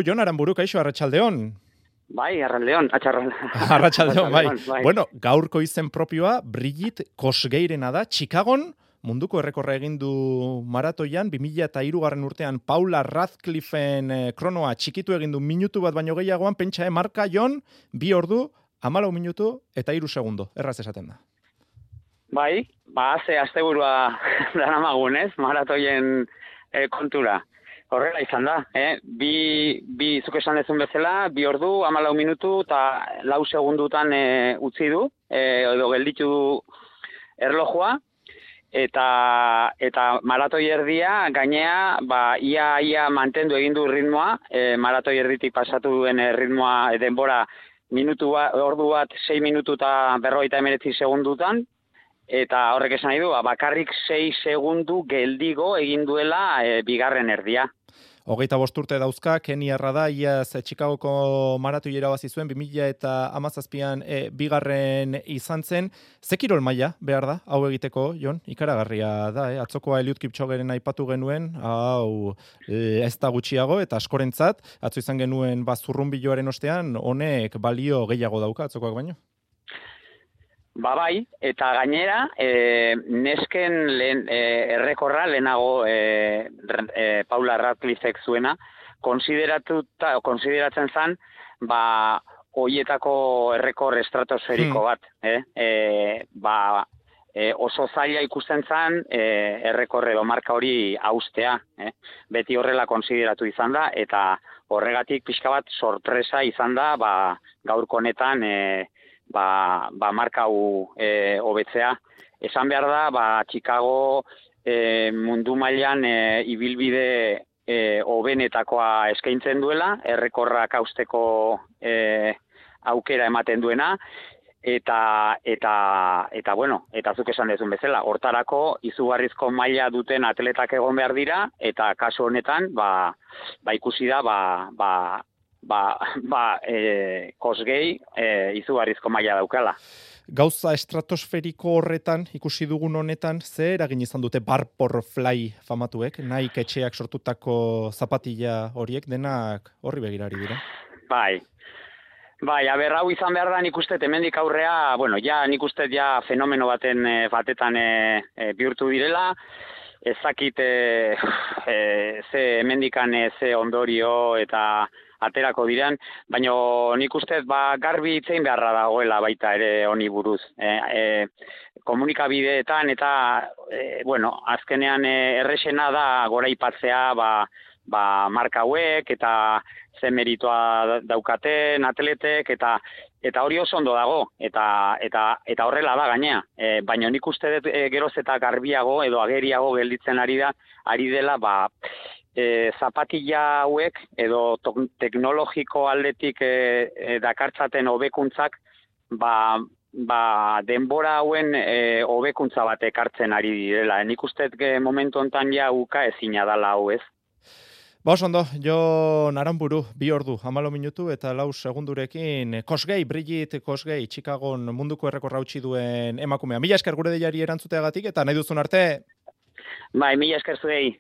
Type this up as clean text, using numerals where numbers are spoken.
Jon Aranburu, kaixo, arratsaldeon. Bai, arratsaldeon, Arratsaldeon, bai. Bueno, gaurko izen propioa Brigitte Kosgeirena da, Chicagon munduko errekorra egin du maratoian, 2003 urtean Paula Radcliffeen kronoa txikitu egin du minutu bat baino gehiagoan, pentsa, marka Jon, 2 ordu, 14 minutu eta 3 segundo, erraz esaten da. Bai, ze asteburua daramagun, ez? Maratoien kontura. Horrela izan da, bi zuk esan dezun bezala, 2 ordu, 14 minutu eta 4 segundutan utzi du, edo gelditu erlojua, eta maratoi erdia gainea, ia mantendu egin du ritmoa, maratoi erditik pasatu duen ritmoa denbora ordu bat 6 minutu eta 59 segundutan, eta horrek esan nahi du, bakarrik 6 segundu geldigo egin duela bigarren erdia. 25 urte dauzka, Keniarra da, iaz Chicagoko maratoi irabazi zuen, 2017an bigarren izan zen. Ze kirol maila behar da, hau egiteko, Jon? Ikaragarria da, atzokoa Eliud Kipchogeren aipatu genuen, hau ez da gutxiago, eta askorentzat, atzo izan genuen zurrunbiloaren ostean, honek balio gehiago dauka atzokoak baino? Bai, eta gainera, nesken errekorra lehenago Paula Radcliffek zuena, konsideratzen zen, hoietako errekor estratosferiko bat. Oso zaila ikusten zen errekor edo marka hori haustea. Beti horrela konsideratu izan da, eta horregatik pixka bat sorpresa izan da, gaurko honetan marka hau hobetzea. Esan behar da, Chicago mundu mailan ibilbide hobenetakoa eskaintzen duela, errekorrak hausteko aukera ematen duena, eta zuk esan dezun bezala, hortarako izugarrizko maila duten atletak egon behar dira, eta kasu honetan, ikusi da, Kosgei izugarrizko maila daukala. Gauza estratosferiko horretan, ikusi dugun honetan, ze eragin izan dute Vaporfly famatuek, Nike etxeak sortutako zapatilla horiek, denak horri begirari dira? Bai, hau izan behar da nik uste hemendik aurrea, nik uste fenomeno batetan bihurtu direla, ezakit ze hemendikan ze ondorio eta aterako diren, baina nik uste garbi itzein beharra dagoela baita ere honi buruz. Komunikabideetan eta, azkenean errexena da goraipatzea marka hauek eta ze meritoa daukaten atletek eta hori oso ondo dago eta horrela da gainea. Baina nik uste dut geroz eta garbiago edo ageriago gelditzen ari dela zapatilla hauek edo teknologiko aldetik dakartzaten hobekuntzak denbora hauen hobekuntza bat ekartzen ari direla. Nik uste momentu hontan uka ezina dela hau ez. Ondo, Jon Aranburu, 2 ordu, 14 minutu eta 4 segundurekin Brigitte Kosgei, Chicagon munduko errekorra utzi duen emakumea. Mila esker gure deiari erantzuteagatik eta nahi duzun arte. Mila esker zuei.